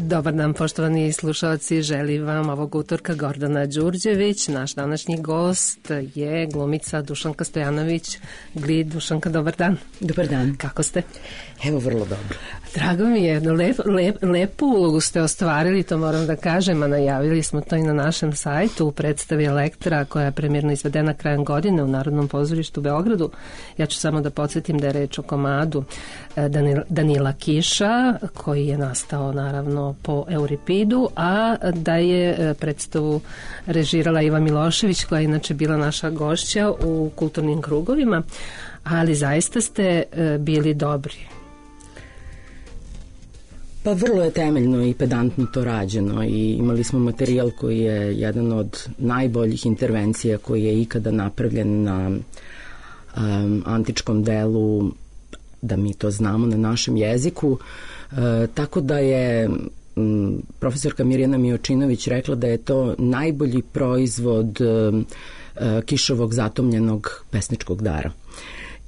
Dobar dan, poštovani slušalci, želim vam ovog utorka Gordana Đurđević. Naš današnji gost je glumica Dušanka Stojanović. Dušanka, dobar dan. Dobar dan. Kako ste? Evo, vrlo dobro. Drago mi je, lepu ulogu ste ostvarili, to moram da kažem, a najavili smo to i na našem sajtu u predstavi Elektra koja je premijerno izvedena krajem godine u Narodnom pozorištu u Beogradu. Ja ću samo da podsjetim da je reč o komadu Danila Kiša, koji je nastao naravno po Euripidu, a da je predstavu režirala Iva Milošević, koja je inače bila naša gošća u kulturnim krugovima, ali zaista ste bili dobri. Pa vrlo je temeljno i pedantno to rađeno i imali smo materijal koji je jedan od najboljih intervencija koji je ikada napravljen na antičkom delu, da mi to znamo, na našem jeziku. Tako da je profesorka Mirjana Mijočinović rekla da je to najbolji proizvod Kišovog zatomljenog pesničkog dara.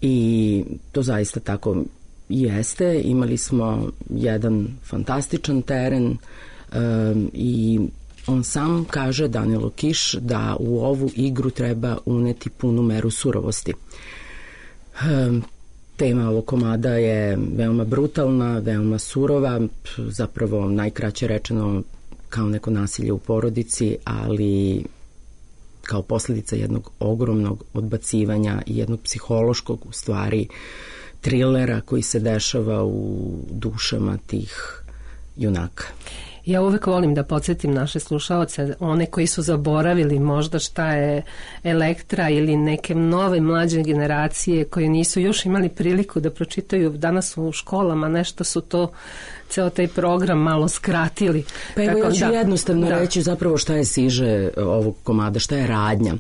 I to zaista tako jeste. Imali smo jedan fantastičan teren i on sam kaže, Danilo Kiš, da u ovu igru treba uneti punu meru surovosti. Tema ovog komada je veoma brutalna, veoma surova, zapravo najkraće rečeno kao neko nasilje u porodici, ali kao posljedica jednog ogromnog odbacivanja i jednog psihološkog, u stvari, trilera koji se dešava u dušama tih junaka. Ja uvek volim da podsjetim naše slušaoce, one koji su zaboravili možda šta je Elektra ili neke nove mlađe generacije koje nisu još imali priliku da pročitaju danas u školama, nešto su to ceo taj program malo skratili. Pa evo, ja ću jednostavno reći zapravo šta je siže ovog komada, šta je radnja.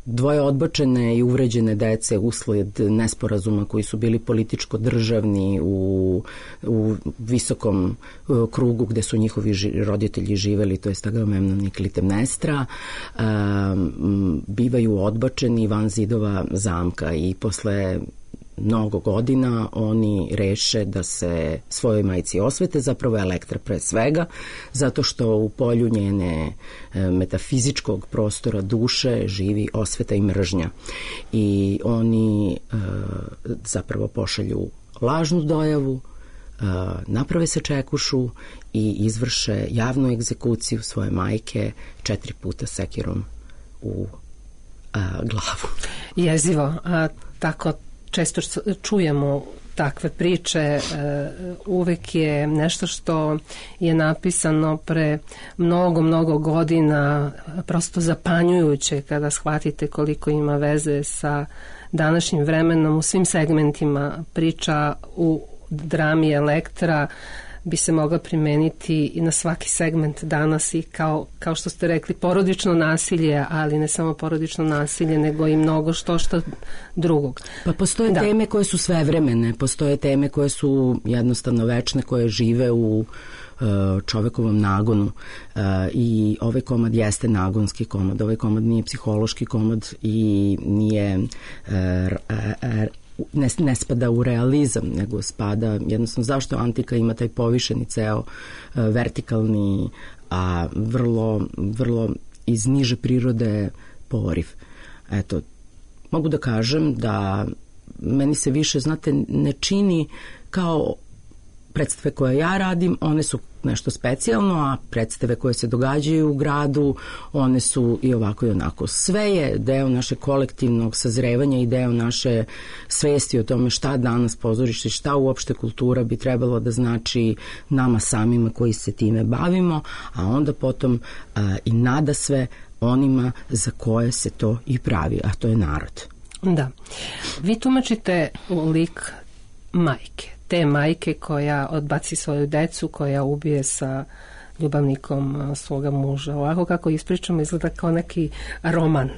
Dvoje odbačene i uvređene dece usled nesporazuma koji su bili političko-državni u visokom krugu gde su njihovi roditelji živeli, to je Agamemnon i Klitemnestra, bivaju odbačeni van zidova zamka i posle mnogo godina oni reše da se svojoj majci osvete, zapravo Elektra pre svega, zato što u polju njene metafizičkog prostora duše živi osveta i mržnja. I oni zapravo pošalju lažnu dojavu, naprave se čekušu i izvrše javnu egzekuciju svoje majke 4 puta sekirom u glavu. Jezivo, a tako često čujemo takve priče, uvek je nešto što je napisano pre mnogo godina prosto zapanjujuće kada shvatite koliko ima veze sa današnjim vremenom u svim segmentima. Priča u drami Elektra bi se mogla primeniti i na svaki segment danas i kao što ste rekli, porodično nasilje, ali ne samo porodično nasilje, nego i mnogo što drugog. Pa postoje teme koje su svevremene, postoje teme koje su jednostavno večne, koje žive u čovekovom nagonu i ovaj komad jeste nagonski komad, ovaj komad nije psihološki komad i nije ne spada u realizam, nego spada jednostavno zašto antika ima taj povišeni ceo vertikalni, a vrlo iz niže prirode poriv. Eto, mogu da kažem da meni se više, znate, ne čini kao predstave koje ja radim, one su nešto specijalno, a predstave koje se događaju u gradu, one su i ovako i onako. Sve je deo naše kolektivnog sazrevanja i deo naše svesti o tome šta danas pozorište, šta uopšte kultura bi trebalo da znači nama samima koji se time bavimo, a onda potom i nada sve onima za koje se to i pravi, a to je narod. Da. Vi tumačite lik majke. Te majke koja odbaci svoju decu, koja ubije sa ljubavnikom svoga muža. Ovako kako ispričamo izgleda kao neki roman.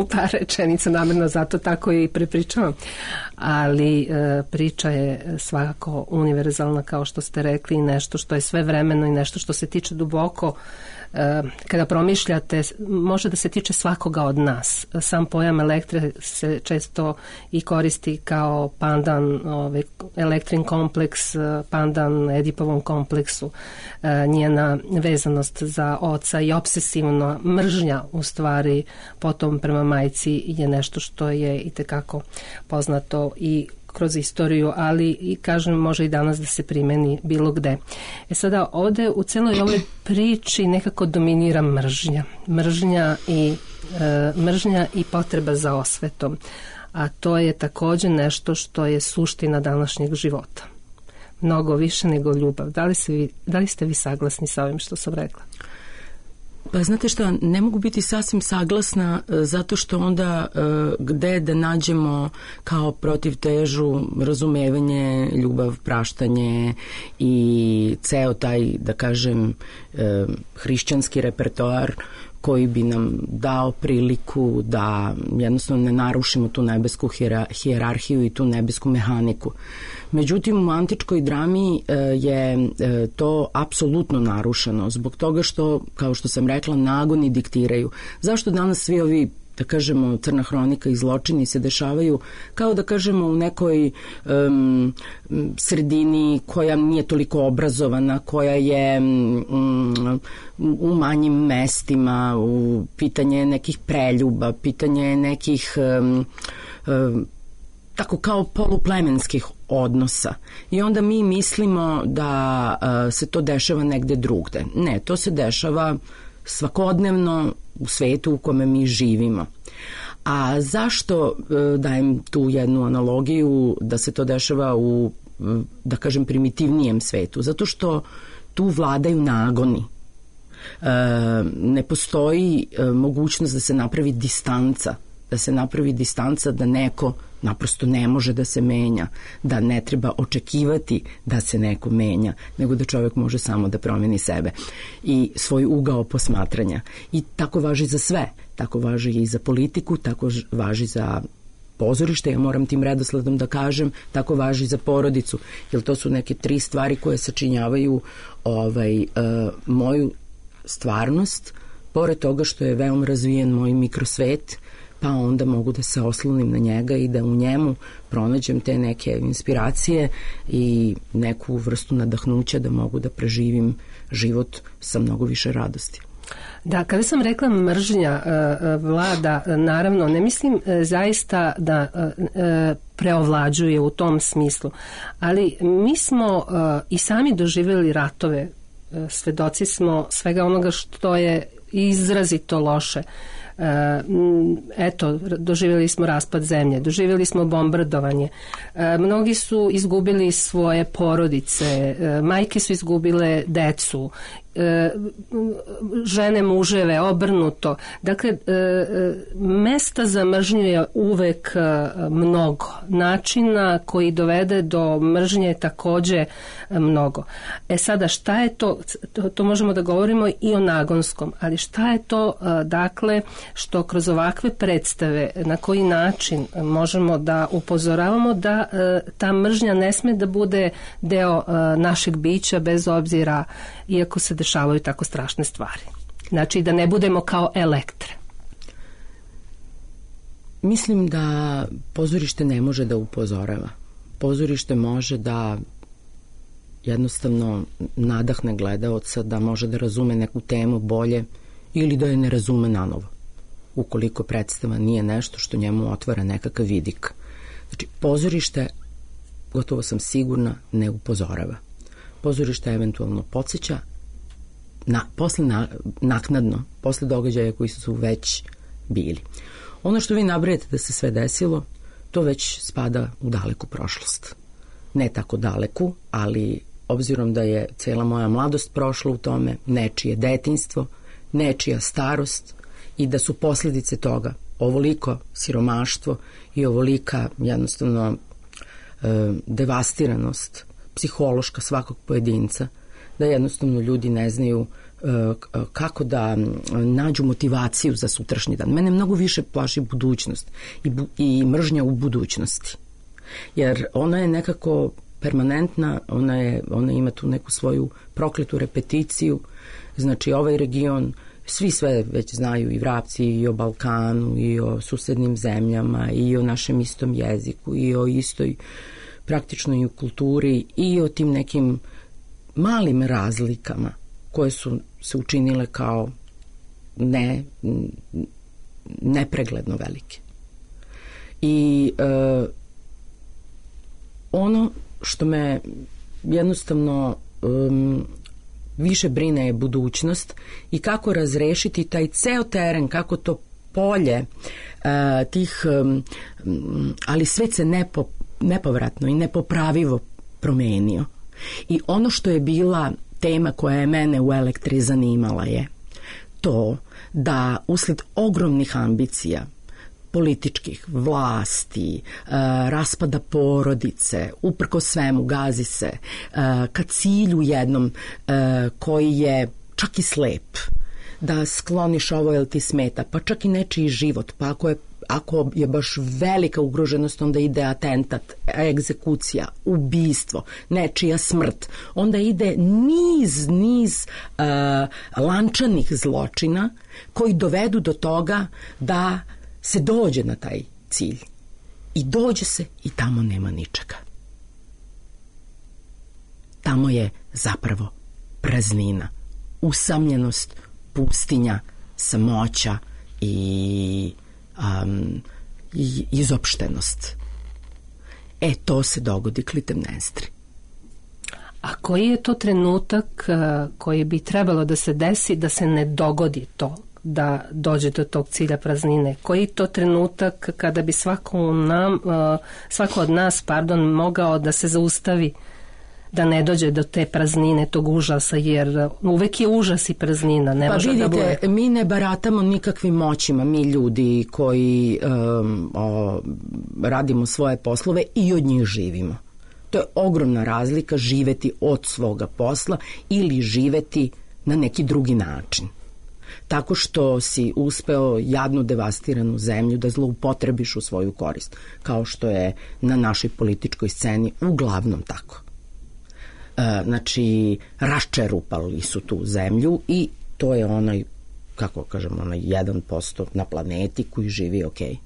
u par rečenica, namjerno zato tako i prepričavam. Ali priča je svakako univerzalna, kao što ste rekli, i nešto što je svevremeno i nešto što se tiče duboko. Kada promišljate, može da se tiče svakoga od nas. Sam pojam Elektre se često i koristi kao pandan Elektrin kompleks, pandan Edipovom kompleksu, njena vezanost za oca i obsesivna mržnja u stvari potom prema majci je nešto što je itekako poznato i kroz istoriju, ali i kažem može i danas da se primeni bilo gde. Sada ovde u celoj ovoj priči nekako dominira mržnja. Mržnja i potreba za osvetom. A to je takođe nešto što je suština današnjeg života. Mnogo više nego ljubav. Da li ste vi saglasni sa ovim što sam rekla? Pa znate šta, ne mogu biti sasvim saglasna zato što onda gde da nađemo kao protivtežu razumevanje, ljubav, praštanje i ceo taj, da kažem, hrišćanski repertoar koji bi nam dao priliku da jednostavno ne narušimo tu nebesku hijerarhiju i tu nebesku mehaniku. Međutim, u antičkoj drami je to apsolutno narušeno zbog toga što, kao što sam rekla, nagoni diktiraju. Zašto danas svi ovi, da kažemo, crna hronika i zločini se dešavaju kao da kažemo u nekoj sredini koja nije toliko obrazovana, koja je u manjim mestima, u pitanje nekih preljuba, pitanje nekih tako kao poluplemenskih odnosa. I onda mi mislimo da se to dešava negde drugde. Ne, to se dešava svakodnevno u svetu u kome mi živimo. A zašto dajem tu jednu analogiju da se to dešava u, da kažem, primitivnijem svetu? Zato što tu vladaju nagoni. Ne postoji mogućnost da se napravi distanca, da neko naprosto ne može da se menja, da ne treba očekivati da se neko menja, nego da čovjek može samo da promeni sebe i svoj ugao posmatranja. I tako važi za sve. Tako važi i za politiku, tako važi za pozorište, ja moram tim redosledom da kažem, tako važi za porodicu, jer to su neke 3 stvari koje sačinjavaju moju stvarnost, pored toga što je veoma razvijen moj mikrosvet, pa onda mogu da se oslonim na njega i da u njemu pronađem te neke inspiracije i neku vrstu nadahnuća da mogu da preživim život sa mnogo više radosti. Da, kada sam rekla mržnja vlada, naravno, ne mislim zaista da preovlađuje u tom smislu, ali mi smo i sami doživjeli ratove, svedoci smo svega onoga što je izrazito loše. Eto, doživjeli smo raspad zemlje, doživjeli smo bombardovanje, mnogi su izgubili svoje porodice, majke su izgubile decu, žene, muževe, obrnuto. Dakle, mesta za mržnju je uvek mnogo. Načina koji dovede do mržnje je takođe mnogo. Sada, šta je to? To možemo da govorimo i o nagonskom, ali šta je to, dakle, što kroz ovakve predstave, na koji način možemo da upozoravamo da ta mržnja ne sme da bude deo našeg bića, bez obzira, iako se dešavaju tako strašne stvari. Znači, da ne budemo kao Elektre. Mislim da pozorište ne može da upozorava. Pozorište može da jednostavno nadahne gledaoca, da može da razume neku temu bolje ili da je ne razume nanovo, ukoliko predstava nije nešto što njemu otvara nekakav vidik. Znači, pozorište, gotovo sam sigurna, ne upozorava. Pozorište eventualno podsjeća naknadno, posle događaja koji su već bili. Ono što vi nabrajete da se sve desilo, to već spada u daleku prošlost. Ne tako daleku, ali obzirom da je cela moja mladost prošla u tome, nečije detinjstvo, nečija starost i da su posljedice toga ovoliko siromaštvo i ovolika jednostavno devastiranost psihološka svakog pojedinca, da jednostavno ljudi ne znaju kako da nađu motivaciju za sutrašnji dan. Mene mnogo više plaši budućnost i mržnja u budućnosti. Jer ona je nekako permanentna, ona ima tu neku svoju prokletu repeticiju. Znači ovaj region, svi sve već znaju, i Vrapci, i o Balkanu, i o susednim zemljama, i o našem istom jeziku, i o istoj praktično i u kulturi, i o tim nekim malim razlikama koje su se učinile kao nepregledno velike. I ono što me jednostavno više brine je budućnost i kako razrešiti taj ceo teren, kako to polje tih, ali svet se nepovratno i nepopravivo promenio. I ono što je bila tema koja je mene u Elektri zanimala je to da usled ogromnih ambicija političkih, vlasti, raspada porodice, uprko svemu gazi se ka cilju jednom koji je čak i slep, da skloniš ovo jer ti smeta, pa čak i nečiji život, pa ako je baš velika ugroženost, onda ide atentat, egzekucija, ubistvo, nečija smrt, onda ide niz lančanih zločina koji dovedu do toga da se dođe na taj cilj. I dođe se i tamo nema ničega. Tamo je zapravo praznina, usamljenost, pustinja, samoća i izopštenost. To se dogodi Klitemnestri. A koji je to trenutak koji bi trebalo da se desi da se ne dogodi to, da dođe do tog cilja praznine? Koji je to trenutak kada bi svako od nas mogao da se zaustavi, da ne dođe do te praznine, tog užasa, jer uvek je užas i praznina. Ne može vidite, da bude. Mi ne baratamo nikakvim moćima, mi ljudi koji radimo svoje poslove i od njih živimo. To je ogromna razlika živeti od svoga posla ili živeti na neki drugi način. Tako što si uspeo jadnu devastiranu zemlju da zloupotrebiš u svoju korist, kao što je na našoj političkoj sceni uglavnom tako. Znači, raščerupali su tu zemlju i to je onaj, kako kažem, onaj 1% na planeti koji živi okej.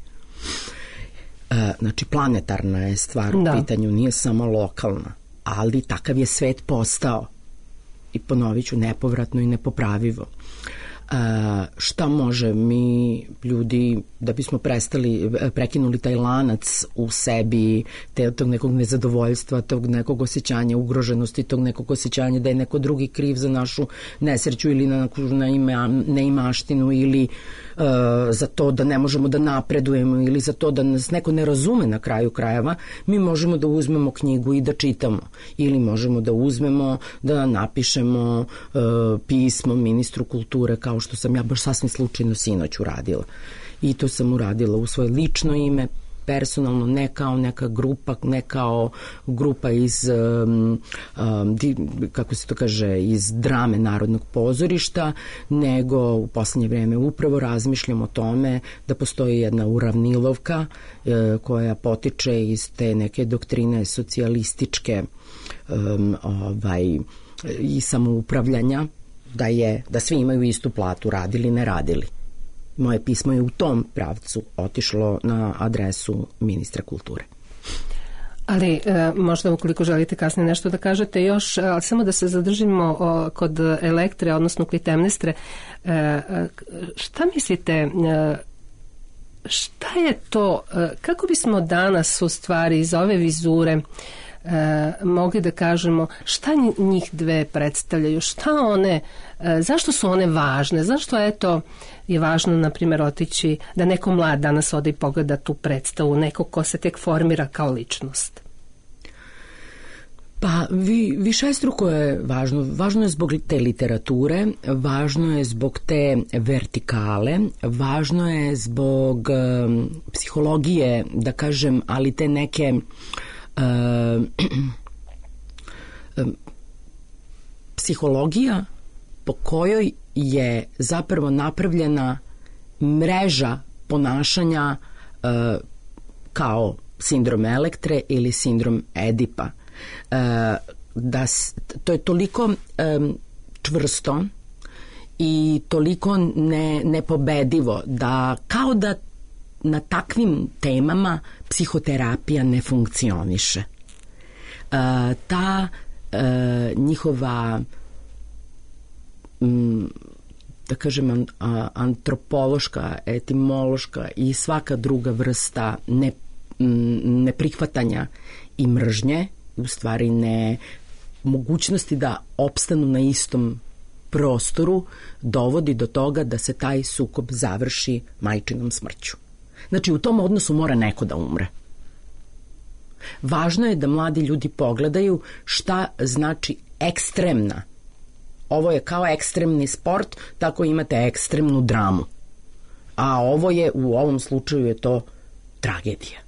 Znači, planetarna je stvar u pitanju, nije samo lokalna, ali takav je svet postao. I ponovit ću, nepovratno i nepopravivo. Šta može mi ljudi, da bismo prekinuli taj lanac u sebi, tog nekog nezadovoljstva, tog nekog osjećanja ugroženosti, tog nekog osjećanja da je neko drugi kriv za našu nesreću ili na neimaštinu ili za to da ne možemo da napredujemo ili za to da nas neko ne razume na kraju krajeva, mi možemo da uzmemo knjigu i da čitamo ili možemo da uzmemo da napišemo pismo ministru kulture, kao što sam ja baš sasvim slučajno sinoć uradila. I to sam uradila u svoje lično ime, personalno, ne kao neka grupa, ne kao grupa iz, kako se to kaže, iz drame Narodnog pozorišta, nego u poslednje vreme upravo razmišljam o tome da postoji jedna uravnilovka koja potiče iz te neke doktrine socijalističke i samoupravljanja, da svi imaju istu platu, radili, ne radili. Moje pismo je u tom pravcu otišlo na adresu ministra kulture. Ali možda ukoliko želite kasnije nešto da kažete još, ali samo da se zadržimo kod Elektre, odnosno Klitemnestre. Šta mislite, šta je to, kako bismo danas u stvari iz ove vizure mogli da kažemo šta njih dve predstavljaju, šta one, zašto su one važne, zašto je važno, na primjer, otići da neko mlad danas ode i pogleda tu predstavu, neko ko se tek formira kao ličnost? Pa višestruko je važno. Važno je zbog te literature, važno je zbog te vertikale, važno je zbog psihologije, da kažem, ali te neke psihologija po kojoj je zapravo napravljena mreža ponašanja kao sindrom Elektre ili sindrom Edipa. To je toliko čvrsto i toliko nepobedivo da kao da na takvim temama psihoterapija ne funkcioniše. Ta njihova da kažem antropološka, etimološka i svaka druga vrsta neprihvatanja i mržnje, u stvari mogućnosti da opstanu na istom prostoru, dovodi do toga da se taj sukob završi majčinom smrću. Znači, u tom odnosu mora neko da umre. Važno je da mladi ljudi pogledaju šta znači ekstremna. Ovo je kao ekstremni sport, tako imate ekstremnu dramu. A ovo je, u ovom slučaju je to tragedija.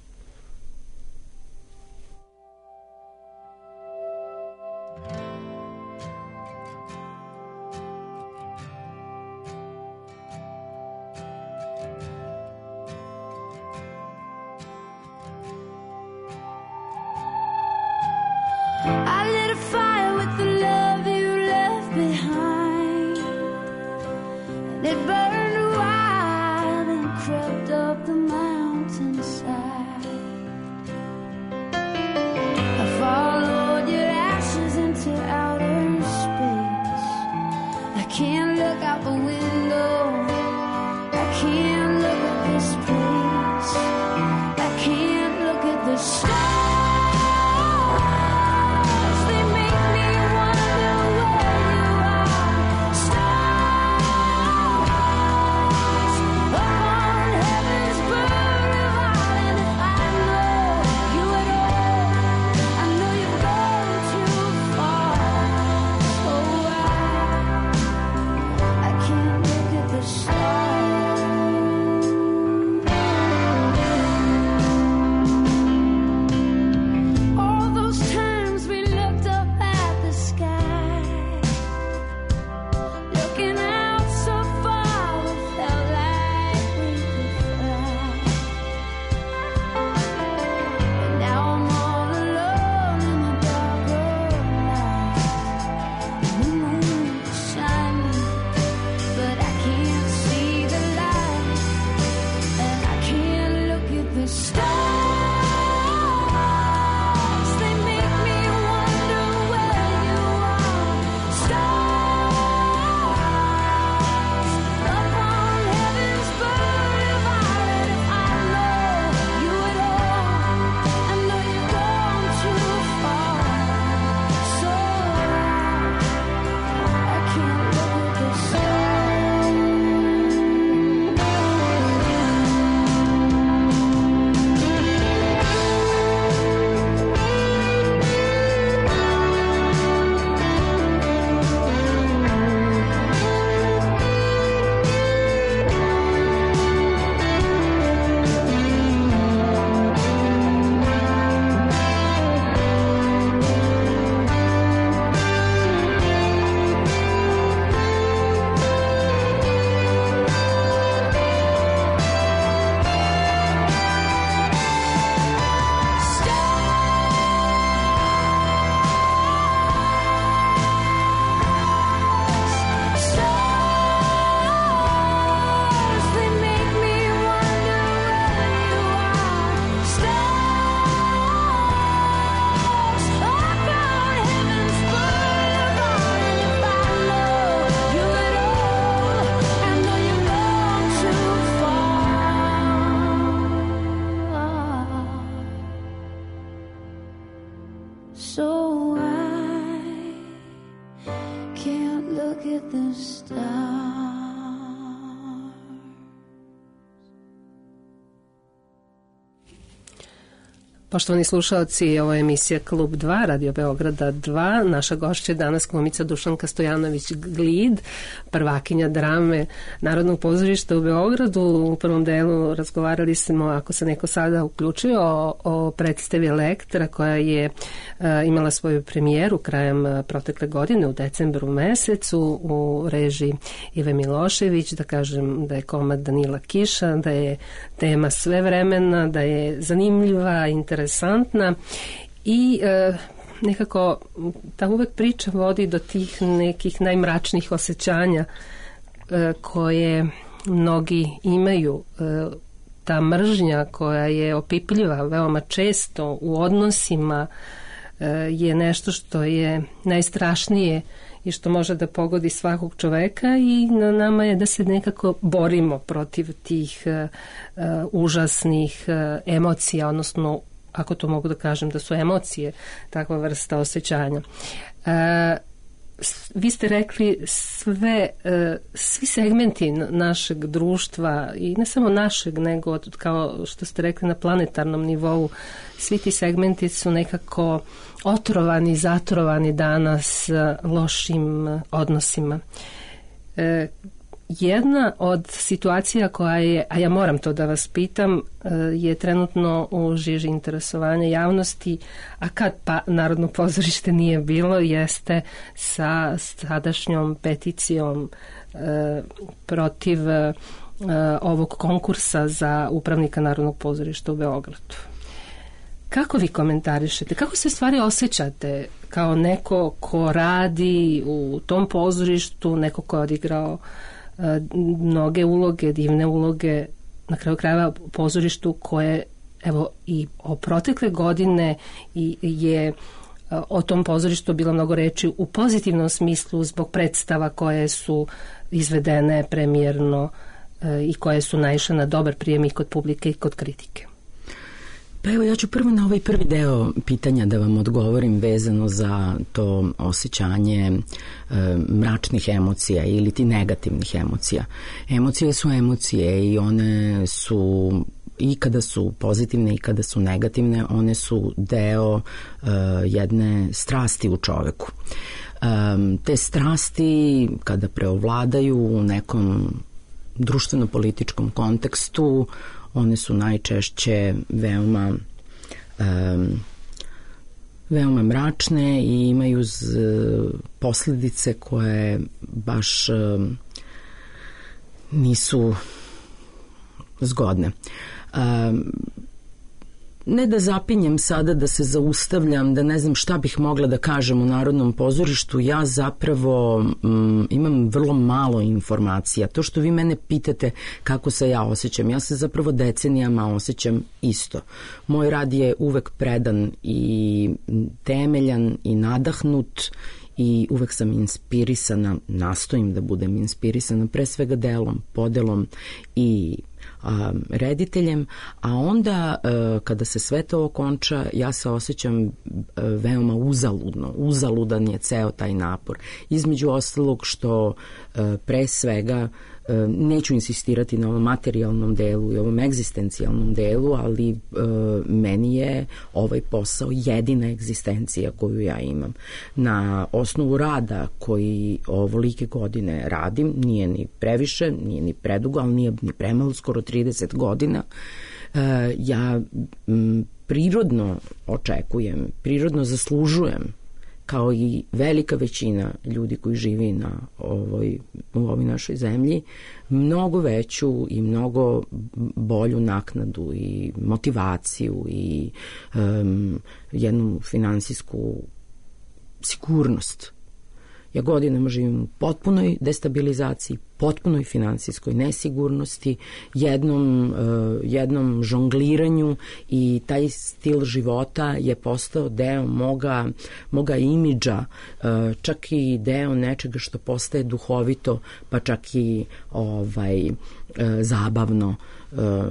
Poštovani slušalci, ovo je emisija Klub 2, Radio Beograda 2. Naša gošća je danas glumica Dušanka Stojanović-Glid, prvakinja drame Narodnog pozorišta u Beogradu. U prvom delu razgovarali smo, ako se neko sada uključio, o predstavi Elektra koja je imala svoju premijeru krajem protekle godine u decembru mesecu u režiji Ive Milošević. Da kažem da je komad Danila Kiša, da je tema svevremena, da je zanimljiva, interesantna i nekako ta uvek priča vodi do tih nekih najmračnijih osjećanja koje mnogi imaju. Ta mržnja koja je opipljiva veoma često u odnosima je nešto što je najstrašnije i što može da pogodi svakog čoveka i na nama je da se nekako borimo protiv tih užasnih emocija, odnosno, ako to mogu da kažem, da su emocije takva vrsta osjećanja. Vi ste rekli svi segmenti našeg društva i ne samo našeg, nego kao što ste rekli na planetarnom nivou, svi ti segmenti su nekako otrovani, zatrovani danas lošim odnosima. Jedna od situacija koja je, a ja moram to da vas pitam, je trenutno u žiži interesovanja javnosti, a kad pa Narodno pozorište nije bilo, jeste sa sadašnjom peticijom protiv ovog konkursa za upravnika Narodnog pozorišta u Beogradu. Kako vi komentarišete? Kako se stvari osjećate kao neko ko radi u tom pozorištu, neko ko je odigrao mnoge uloge, divne uloge, na kraju krajeva pozorištu koje, evo, i o protekle godine je o tom pozorištu bilo mnogo reči u pozitivnom smislu zbog predstava koje su izvedene premijerno i koje su naišle na dobar prijem i kod publike i kod kritike. Pa evo, ja ću prvo na ovaj prvi deo pitanja da vam odgovorim vezano za to osjećanje mračnih emocija ili ti negativnih emocija. Emocije su emocije i one su, i kada su pozitivne i kada su negativne, one su deo jedne strasti u čoveku. Te strasti kada preovladaju u nekom društveno-političkom kontekstu, one su najčešće veoma mračne i imaju posljedice koje baš nisu zgodne. Ne da zapinjem sada, da se zaustavljam, da ne znam šta bih mogla da kažem u Narodnom pozorištu, ja zapravo imam vrlo malo informacija. To što vi mene pitate kako se ja osjećam, ja se zapravo decenijama osjećam isto. Moj rad je uvek predan i temeljan i nadahnut i uvek sam inspirisana, nastojim da budem inspirisana pre svega delom, podelom i rediteljem, a onda kada se sve to okonča, ja se osjećam veoma uzaludno. Uzaludan je ceo taj napor. Između ostalog što pre svega neću insistirati na ovom materijalnom delu i ovom egzistencijalnom delu, ali meni je ovaj posao jedina egzistencija koju ja imam. Na osnovu rada koji ovolike godine radim, nije ni previše, nije ni predugo, ali nije ni premalo, skoro 30 godina, ja prirodno očekujem, prirodno zaslužujem, kao i velika većina ljudi koji živi u ovoj našoj zemlji, mnogo veću i mnogo bolju naknadu i motivaciju i jednu finansijsku sigurnost. Ja godinama živim u potpunoj destabilizaciji, potpunoj finansijskoj nesigurnosti, jednom žongliranju i taj stil života je postao deo moga imidža, čak i deo nečega što postaje duhovito, pa čak i zabavno,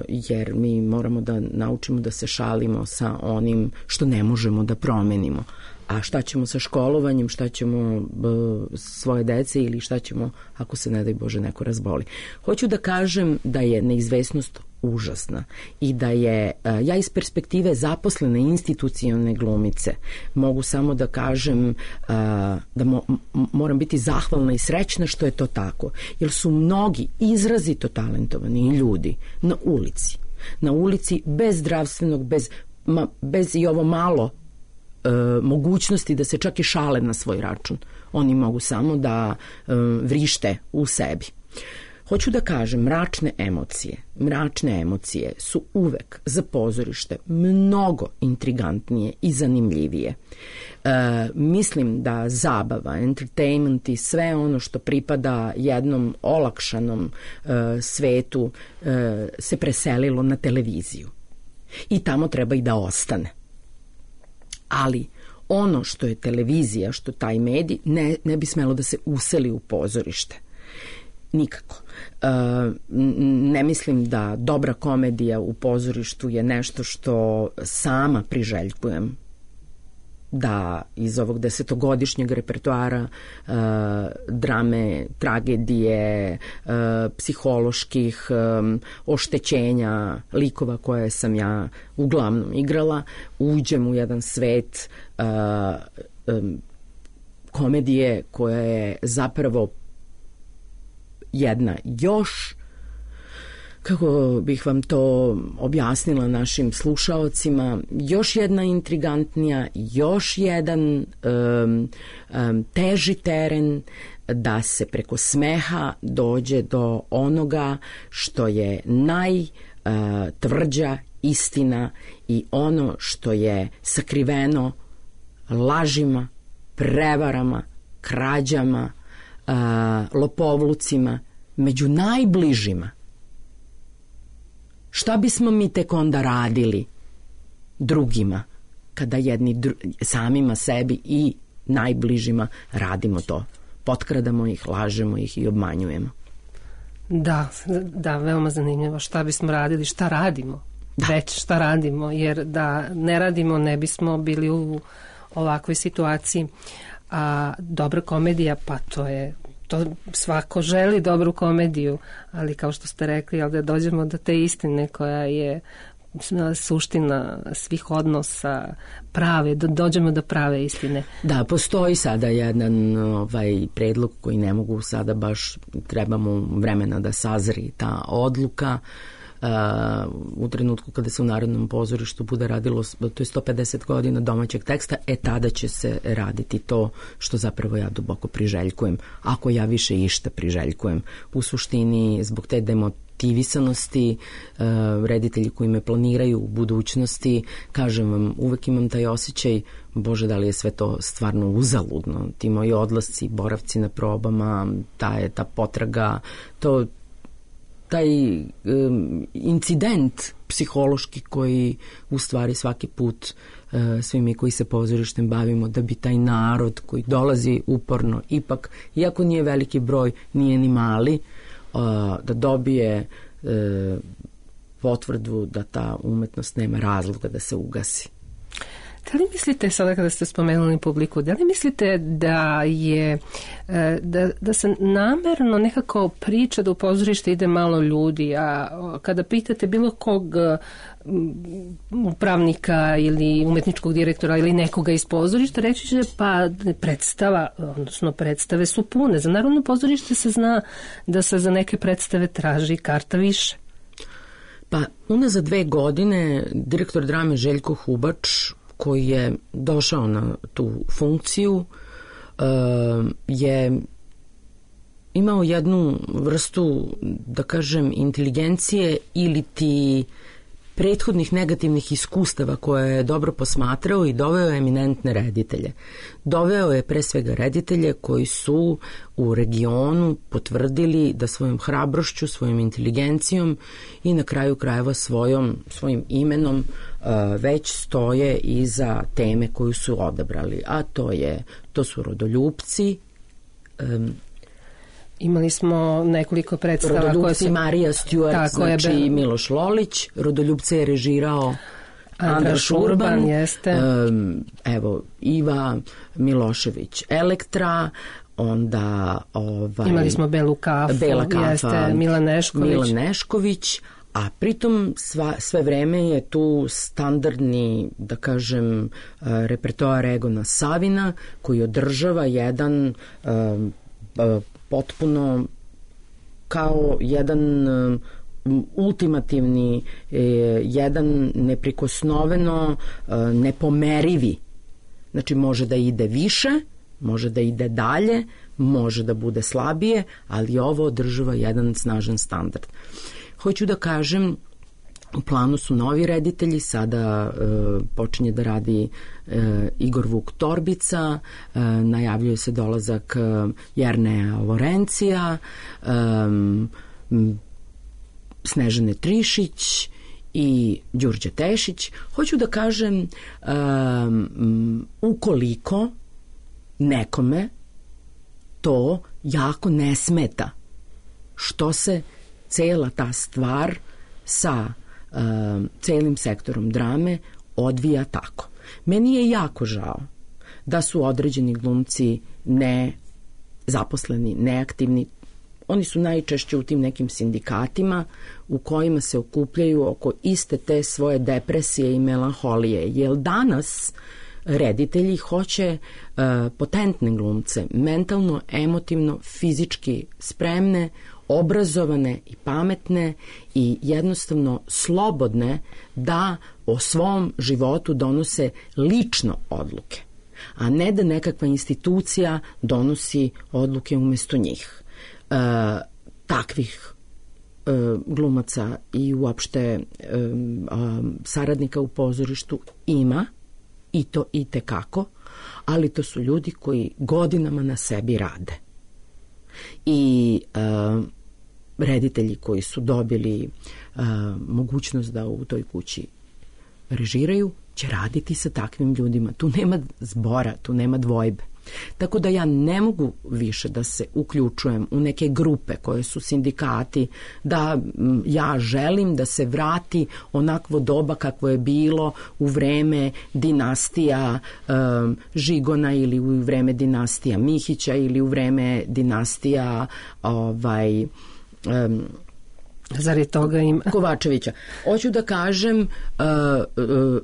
jer mi moramo da naučimo da se šalimo sa onim što ne možemo da promenimo. A šta ćemo sa školovanjem, šta ćemo svoje dece ili šta ćemo ako se, ne daj Bože, neko razboli. Hoću da kažem da je neizvesnost užasna i da je, ja iz perspektive zaposlene institucionalne glumice mogu samo da kažem da moram biti zahvalna i srećna što je to tako, jer su mnogi izrazito talentovani ljudi na ulici bez zdravstvenog, bez i ovo malo mogućnosti da se čak i šale na svoj račun. Oni mogu samo da vrište u sebi. Hoću da kažem, mračne emocije su uvek za pozorište mnogo intrigantnije i zanimljivije. Mislim da zabava, entertainment i sve ono što pripada jednom olakšanom svetu se preselilo na televiziju. I tamo treba i da ostane. Ali ono što je televizija, što taj medij, ne bi smelo da se useli u pozorište. Nikako. Ne mislim da dobra komedija u pozorištu je nešto što sama priželjkujem da iz ovog 10-godišnjeg repertoara drame, tragedije, psiholoških oštećenja likova koje sam ja uglavnom igrala, uđem u jedan svet komedije koja je zapravo jedna još, kako bih vam to objasnila našim slušaocima, još jedna intrigantnija, još jedan teži teren da se preko smeha dođe do onoga što je najtvrđa istina i ono što je sakriveno lažima, prevarama, krađama, lopovlucima među najbližima. Šta bismo mi tek onda radili drugima kada samima sebi i najbližima radimo to? Potkradamo ih, lažemo ih i obmanjujemo. Da, veoma zanimljivo. Šta bismo radili, šta radimo? Već šta radimo, jer da ne radimo ne bismo bili u ovakvoj situaciji. A dobra komedija, pa to svako želi dobru komediju, ali kao što ste rekli, da dođemo do te istine koja je suština svih odnosa, dođemo do prave istine. Da, postoji sada jedan predlog koji ne mogu sada baš, trebamo vremena da sazri ta odluka. U trenutku kada se u Narodnom pozorištu bude radilo, to je 150 godina domaćeg teksta, tada će se raditi to što zapravo ja duboko priželjkujem, ako ja više išta priželjkujem. U suštini, zbog te demotivisanosti, reditelji koji me planiraju u budućnosti, kažem vam, uvek imam taj osjećaj, Bože, da li je sve to stvarno uzaludno, ti moji odlasci, boravci na probama, ta potraga, taj incident psihološki koji u stvari svaki put svi mi koji se pozorištem bavimo, da bi taj narod koji dolazi uporno, ipak, iako nije veliki broj, nije ni mali, da dobije potvrdu da ta umetnost nema razloga da se ugasi. Da li mislite, sada kada ste spomenuli publiku, da li mislite da je da se namerno nekako priča da u pozorište ide malo ljudi, a kada pitate bilo kog upravnika ili umetničkog direktora ili nekoga iz pozorišta, reći će pa predstave su pune. Za Narodno pozorište se zna da se za neke predstave traži karta više. Pa unazad 2 godine direktor drame Željko Hubač, koji je došao na tu funkciju, je imao jednu vrstu, da kažem, inteligencije ili ti prethodnih negativnih iskustava koje je dobro posmatrao i doveo je eminentne reditelje. Doveo je pre svega reditelje koji su u regionu potvrdili da svojom hrabrošću, svojom inteligencijom i na kraju krajeva svojim imenom već stoje iza teme koju su odabrali. A to su Rodoljupci. Imali smo nekoliko predstava. Rodoljupci, Marija Stewart, znači Miloš Lolić. Rodoljupce je režirao Andraš Urban, evo Iva Milošević Elektra, onda imali smo Bela kafa, Milan Nešković, A pritom sve vreme je tu standardni, da kažem, repertoar Egona Savina koji održava jedan potpuno kao jedan ultimativni, jedan neprikosnoveno nepomerivi. Znači može da ide više, može da ide dalje, može da bude slabije, ali ovo održava jedan snažan standard. Hoću da kažem, u planu su novi reditelji, sada počinje da radi Igor Vuk Torbica, najavljuje se dolazak Jerneja Lorencija, Snežane Trišić i Đurđe Tešić. Hoću da kažem, ukoliko nekome to jako ne smeta, što se cela ta stvar sa celim sektorom drame odvija tako. Meni je jako žao da su određeni glumci nezaposleni, neaktivni. Oni su najčešće u tim nekim sindikatima u kojima se okupljaju oko iste te svoje depresije i melanholije. Jer danas reditelji hoće potentne glumce, mentalno, emotivno, fizički spremne, obrazovane i pametne i jednostavno slobodne da o svom životu donose lično odluke, a ne da nekakva institucija donosi odluke umesto njih. Takvih glumaca i uopšte saradnika u pozorištu ima, i to i tekako, ali to su ljudi koji godinama na sebi rade. I reditelji koji su dobili mogućnost da u toj kući režiraju će raditi sa takvim ljudima. Tu nema zbora, tu nema dvojbe. Tako da ja ne mogu više da se uključujem u neke grupe koje su sindikati, da ja želim da se vrati onakvo doba kakvo je bilo u vreme dinastija Žigona ili u vreme dinastija Mihića ili u vreme dinastija Zar je toga ima? Kovačevića. Hoću da kažem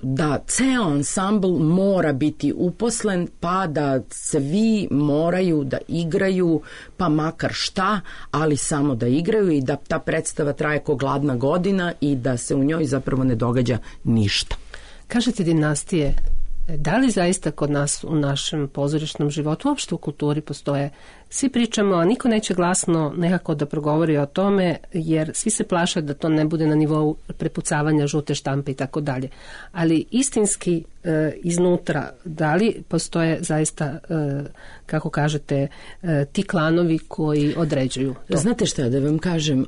da ceo ansambl mora biti uposlen, pa da svi moraju da igraju, pa makar šta, ali samo da igraju i da ta predstava traje ko gladna godina i da se u njoj zapravo ne događa ništa. Kažete dinastije, da li zaista kod nas u našem pozorišnom životu, uopšte u kulturi postoje? Svi pričamo, a niko neće glasno nekako da progovori o tome, jer svi se plaše da to ne bude na nivou prepucavanja žute štampe i tako dalje. Ali istinski iznutra, da li postoje zaista, kako kažete, ti klanovi koji određuju to? Znate šta, da vam kažem,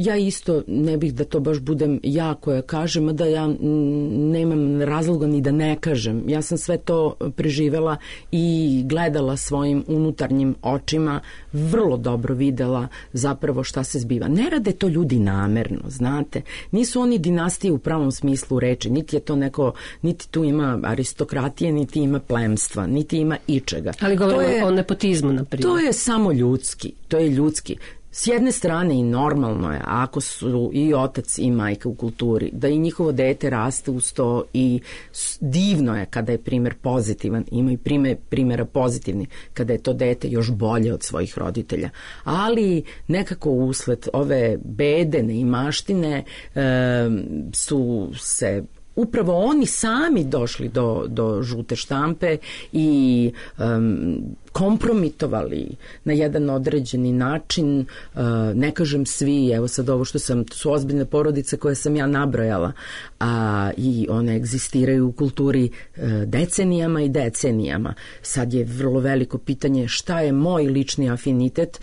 ja isto ne bih da to baš budem ja koja kažem, a da ja nemam razloga ni da ne kažem. Ja sam sve to preživela i gledala svojim unutarnjim očima, vrlo dobro videla zapravo šta se zbiva. Ne rade to ljudi namerno, znate. Nisu oni dinastije u pravom smislu reči, niti je to neko, niti tu ima aristokratije, niti ima plemstva, niti ima ičega. Ali govorimo o nepotizmu, na primjer. To je samo ljudski, to je ljudski. S jedne strane i normalno je, ako su i otac i majka u kulturi, da i njihovo dete raste uz to i divno je kada je primer pozitivan, ima i primjera pozitivni, kada je to dete još bolje od svojih roditelja. Ali nekako usled ove bede, neimaštine su se upravo oni sami došli do žute štampe i kompromitovali na jedan određeni način, ne kažem svi, evo sad ovo što su ozbiljne porodice koje sam ja nabrojala, i one egzistiraju u kulturi decenijama i decenijama. Sad je vrlo veliko pitanje šta je moj lični afinitet,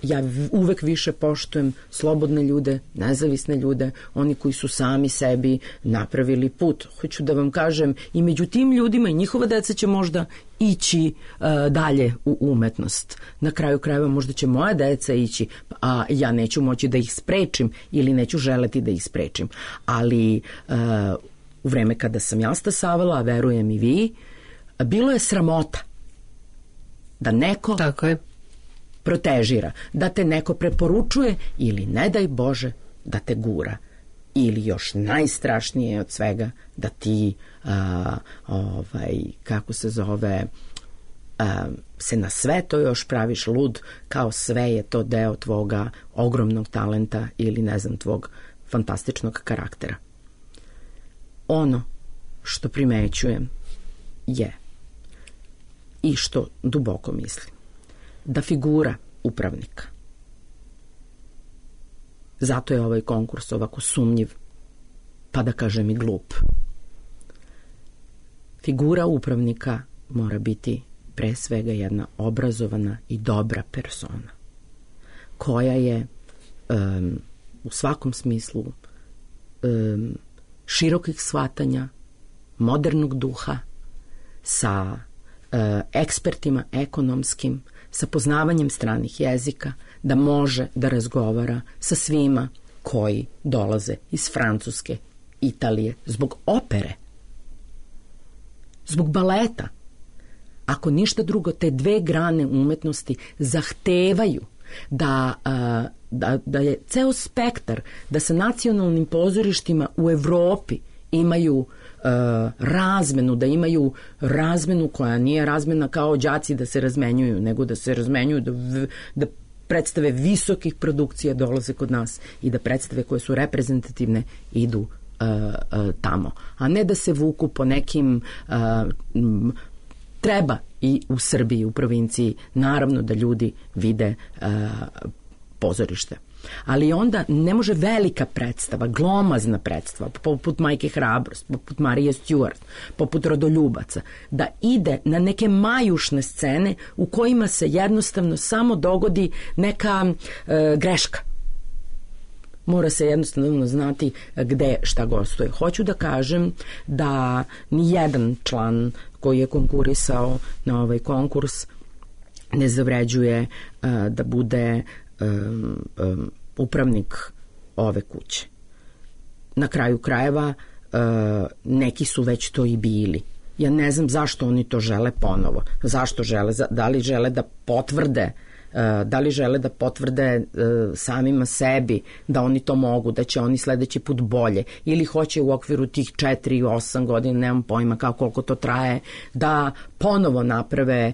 ja uvek više poštujem slobodne ljude, nezavisne ljude, oni koji su sami sebi napravili put. Hoću da vam kažem, i među tim ljudima i njihova deca će možda ići dalje u umetnost. Na kraju krajeva možda će moja deca ići, a ja neću moći da ih sprečim ili neću želeti da ih sprečim. Ali u vreme kada sam ja stasavala, a verujem i vi, bilo je sramota da neko protežira, da te neko preporučuje ili ne daj Bože da te gura. Ili još najstrašnije od svega da ti kako se zove se na sve to još praviš lud kao sve je to deo tvoga ogromnog talenta ili ne znam tvog fantastičnog karaktera. Ono što primećujem je i što duboko mislim da figura upravnika, zato je ovaj konkurs ovako sumnjiv, pa da kažem i glup. Figura upravnika mora biti pre svega jedna obrazovana i dobra persona, koja je u svakom smislu širokih shvatanja, modernog duha, sa ekspertima ekonomskim, sa poznavanjem stranih jezika, da može da razgovara sa svima koji dolaze iz Francuske, Italije, zbog opere, zbog baleta. Ako ništa drugo, te dve grane umetnosti zahtevaju da je ceo spektar, da sa nacionalnim pozorištima u Evropi imaju razmenu, da imaju razmenu koja nije razmena kao đaci da se razmenjuju, nego da se razmenjuju, da predstave visokih produkcija dolaze kod nas i da predstave koje su reprezentativne idu tamo, a ne da se vuku po nekim treba i u Srbiji, u provinciji, naravno da ljudi vide pozorište. Ali onda ne može velika predstava, glomazna predstava, poput Majke Hrabrost, poput Marije Stewart, poput Rodoljubaca, da ide na neke majušne scene u kojima se jednostavno samo dogodi neka greška. Mora se jednostavno znati gde šta gostuje. Hoću da kažem da ni jedan član koji je konkurisao na ovaj konkurs ne zavređuje da bude upravnik ove kuće. Na kraju krajeva neki su već to i bili. Ja ne znam zašto oni to žele ponovo. Zašto žele? Da li žele da potvrde samima sebi da oni to mogu, da će oni sledeći put bolje, ili hoće u okviru tih 4-8 godina, nemam pojma kao koliko to traje, da ponovo naprave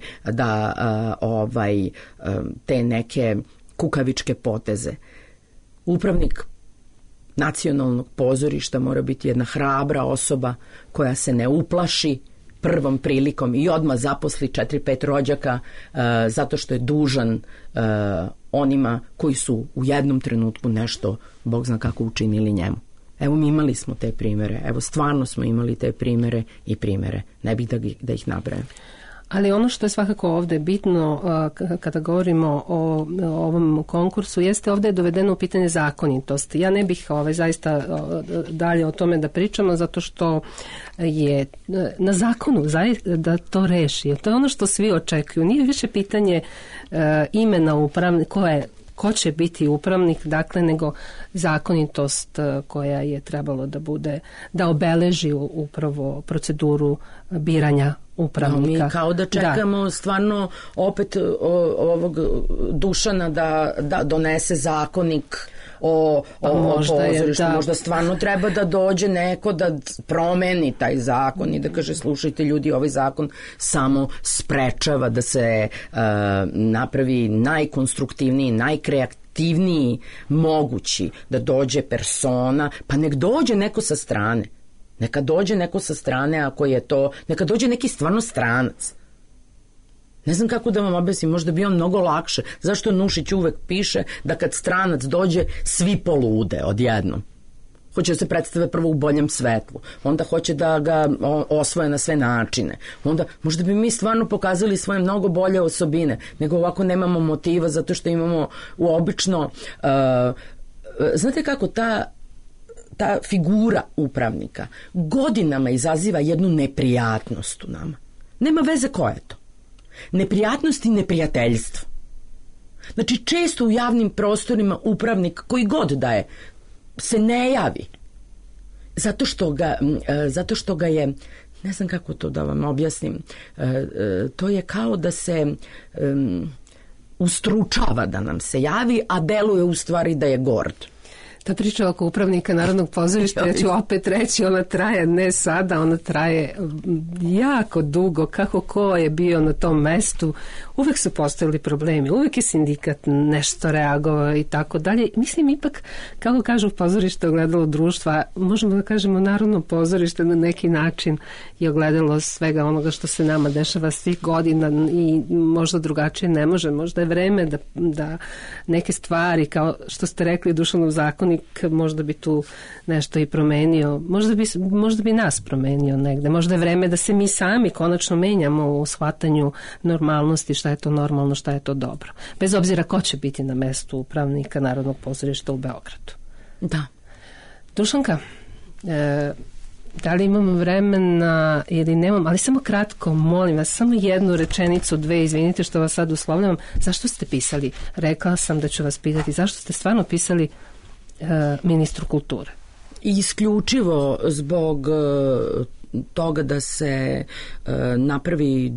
te neke kukavičke poteze. Upravnik nacionalnog pozorišta mora biti jedna hrabra osoba koja se ne uplaši prvom prilikom i odmah zaposli 4-5 rođaka zato što je dužan onima koji su u jednom trenutku nešto, Bog zna kako, učinili njemu. Evo, mi imali smo te primere, evo stvarno smo imali te primere i primere, ne bih da ih nabrajam. Ali ono što je svakako ovde bitno kada govorimo o ovom konkursu jeste ovde je dovedeno u pitanje zakonitosti. Ja ne bih zaista dalje o tome da pričamo zato što je na zakonu da to reši. To je ono što svi očekuju. Nije više pitanje imena upravnika, ko će biti upravnik, dakle, nego zakonitost koja je trebalo da bude, da obeleži upravo proceduru biranja upravnika. Mi kao da čekamo stvarno opet ovog Dušana da donese zakonik o pozorištu. Možda stvarno treba da dođe neko da promeni taj zakon i da kaže, slušajte ljudi, ovaj zakon samo sprečava da se napravi najkonstruktivniji, najkreativniji mogući, da dođe persona, pa nek dođe neko sa strane. Neka dođe neko sa strane, ako je to, neka dođe neki stvarno stranac. Ne znam kako da vam objasnim, možda bi on mnogo lakše. Zašto Nušić uvek piše da kad stranac dođe, svi polude odjednom. Hoće da se predstave prvo u boljem svetlu, onda hoće da ga osvoje na sve načine. Onda možda bi mi stvarno pokazali svoje mnogo bolje osobine, nego ovako nemamo motiva zato što imamo obično... znate kako ta figura upravnika godinama izaziva jednu neprijatnost u nama. Nema veze ko je to. Neprijatnost i neprijateljstvo. Znači, često u javnim prostorima upravnik, koji god da je, se ne javi. Zato što ga je, ne znam kako to da vam objasnim, to je kao da se ustručava da nam se javi, a deluje u stvari da je gord. Ta priča oko upravnika Narodnog pozorišta, ja ću opet reći, ona traje ne sada, ona traje jako dugo, kako ko je bio na tom mestu, uvek su postojali problemi, uvek je sindikat nešto reagovao i tako dalje. Mislim, ipak, kako kažu pozorište, ogledalo društva, možemo da kažemo Narodno pozorište na neki način je ogledalo svega onoga što se nama dešava svih godina i možda drugačije ne može. Možda je vreme da neke stvari, kao što ste rekli, Dušanov zakonik, možda bi tu nešto i promenio. Možda bi nas promenio negde. Možda je vreme da se mi sami konačno menjamo u shvatanju normalnosti, šta je to normalno, šta je to dobro. Bez obzira ko će biti na mestu upravnika Narodnog pozorišta u Beogradu. Da. Dušanka, da li imamo vremena ili nemam, ali samo kratko, molim vas, samo jednu rečenicu, dve, izvinite što vas sad uslovljavam. Zašto ste pisali? Rekla sam da ću vas pitati, zašto ste stvarno pisali ministru kulture? Isključivo zbog toga da se napravi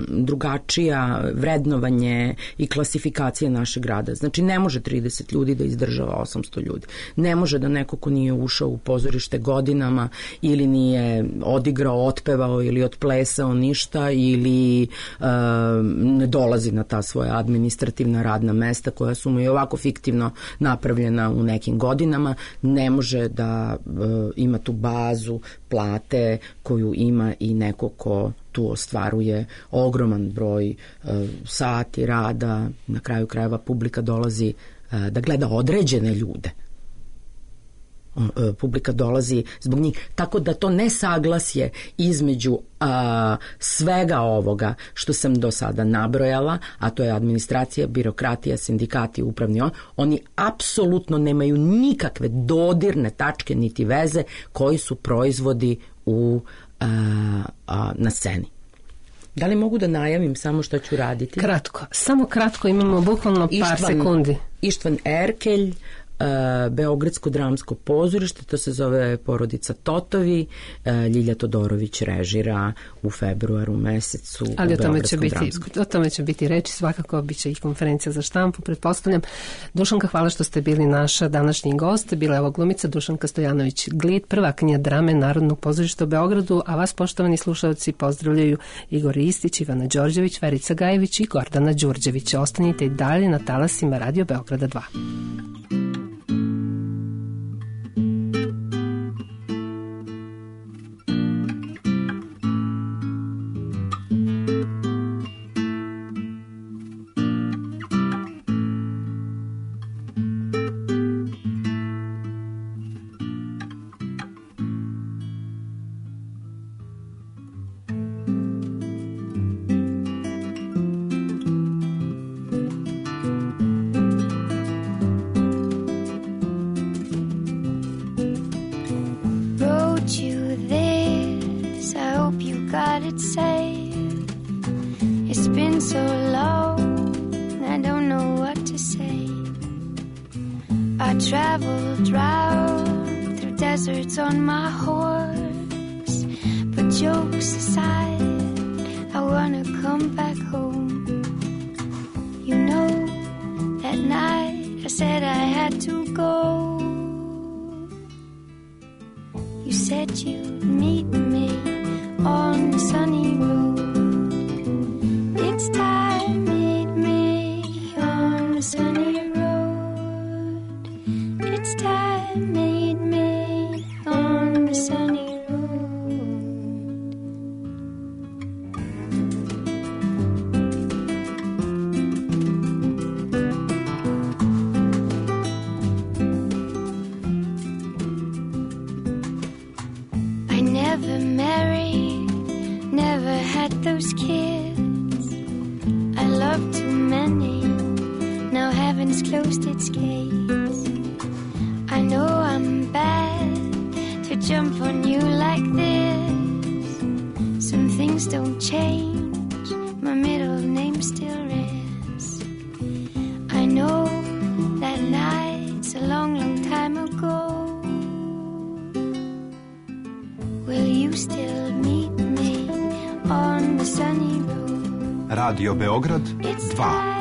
drugačija vrednovanje i klasifikacija našeg grada. Znači, ne može 30 ljudi da izdržava 800 ljudi. Ne može da neko ko nije ušao u pozorište godinama ili nije odigrao, otpevao ili otplesao ništa ili ne dolazi na ta svoja administrativna radna mesta koja su mu i ovako fiktivno napravljena u nekim godinama, ne može da ima tu bazu plate koju ima i neko ko tu ostvaruje ogroman broj sati rada, na kraju krajeva publika dolazi da gleda određene ljude. Publika dolazi zbog njih, tako da to nesaglasje između svega ovoga što sam do sada nabrojala, a to je administracija, birokratija, sindikati, upravni, oni apsolutno nemaju nikakve dodirne tačke niti veze koji su proizvodi na sceni. Da li mogu da najavim samo što ću raditi? Kratko, samo kratko, imamo bukvalno par sekundi. Ištvan Erkelj, Beogradsko dramsko pozorište, to se zove Porodica Totovi, Ljilja Todorović režira u februaru mesecu. Ali o tome će biti reči, svakako biće i konferencija za štampu, pretpostavljam. Dušanka, hvala što ste bili naša današnji gost. Bila je ovo glumica Dušanka Stojanović-Glit, prvakinja drame Narodnog pozorišta u Beogradu, a vas, poštovani slušalci, pozdravljaju Igor Ristić, Ivana Đorđević, Verica Gajević i Gordana Đurđević. Ostanite i dalje na talasima Radio Beograda 2. Traveled round through deserts on my horse, but jokes aside, I wanna come back home. You know, that night I said I had to go. You said you'd meet me on the sunny road. It's time, meet me on the sunny road. It's time, meet me on the sunny road. I never married, never had those kids. I loved too many, now heaven's closed its gates. I know I'm bad to jump on you like this. Some things don't change, my middle name still is. I know that night's a long, long time ago. Will you still meet me on the sunny road? Radio Beograd 2.